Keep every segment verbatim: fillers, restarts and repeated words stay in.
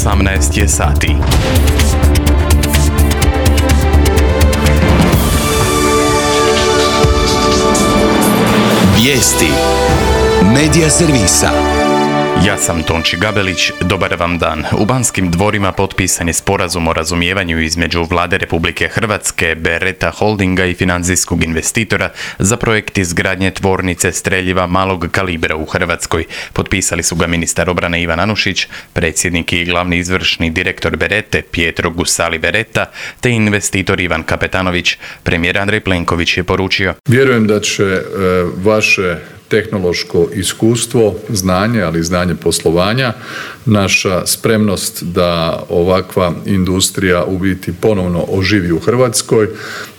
osamnaest je sati. Vijesti Medija servisa. Ja sam Tonči Gabelić, dobar vam dan. U Banskim dvorima potpisan je sporazum o razumijevanju između Vlade Republike Hrvatske, Beretta Holdinga i financijskog investitora za projekt izgradnje tvornice streljiva malog kalibra u Hrvatskoj. Potpisali su ga ministar obrane Ivan Anušić, predsjednik i glavni izvršni direktor Berette Pietro Gussali Beretta te investitor Ivan Kapetanović. Premijer Andrej Plenković je poručio: Vjerujem da će e, vaše tehnološko iskustvo, znanje, ali i znanje poslovanja, naša spremnost da ovakva industrija u biti ponovno oživi u Hrvatskoj,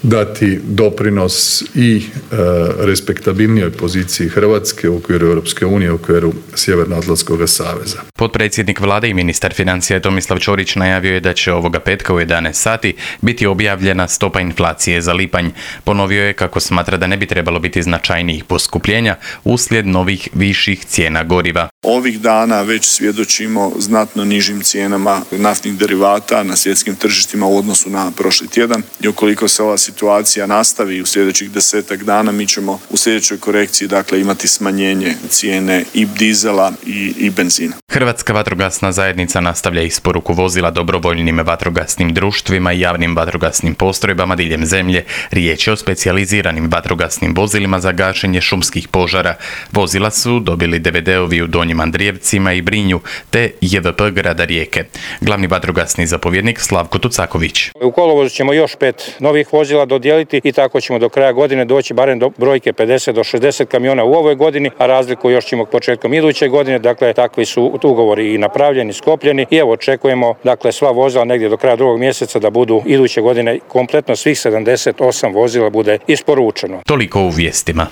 dati doprinos i e, respektabilnijoj poziciji Hrvatske u okviru Europske unije, u okviru Sjevernoatlantskog saveza. Potpredsjednik vlade i ministar financija Tomislav Ćorić najavio je da će ovoga petka u jedanaest sati biti objavljena stopa inflacije za lipanj. Ponovio je kako smatra da ne bi trebalo biti značajnijih poskupljenja uslijed novih viših cijena goriva. Ovih dana već svjedočimo znatno nižim cijenama naftnih derivata na svjetskim tržištima u odnosu na prošli tjedan i ukoliko se ova situacija nastavi u sljedećih desetak dana, mi ćemo u sljedećoj korekciji dakle imati smanjenje cijene i dizela i, i benzina. Hrvatska vatrogasna zajednica nastavlja isporuku vozila dobrovoljnim vatrogasnim društvima i javnim vatrogasnim postrojbama diljem zemlje. Riječ je o specijaliziranim vatrogasnim vozilima za gašenje šumskih požara. Vozila su dobili D V D-ovi u Donjim Andrijevcima i Brinju te J V P grada Rijeke. Glavni vatrogasni zapovjednik Slavko Tucaković. U kolovozu ćemo još pet novih vozila dodijeliti i tako ćemo do kraja godine doći barem do brojke pedeset do šezdeset kamiona u ovoj godini, a razliku još ćemo početkom iduće godine. Dakle, takvi su ugovori i napravljeni, skopljeni i evo očekujemo dakle sva vozila negdje do kraja drugog mjeseca da budu iduće godine kompletno svih sedamdeset osam vozila bude isporučeno. Toliko u vijestima.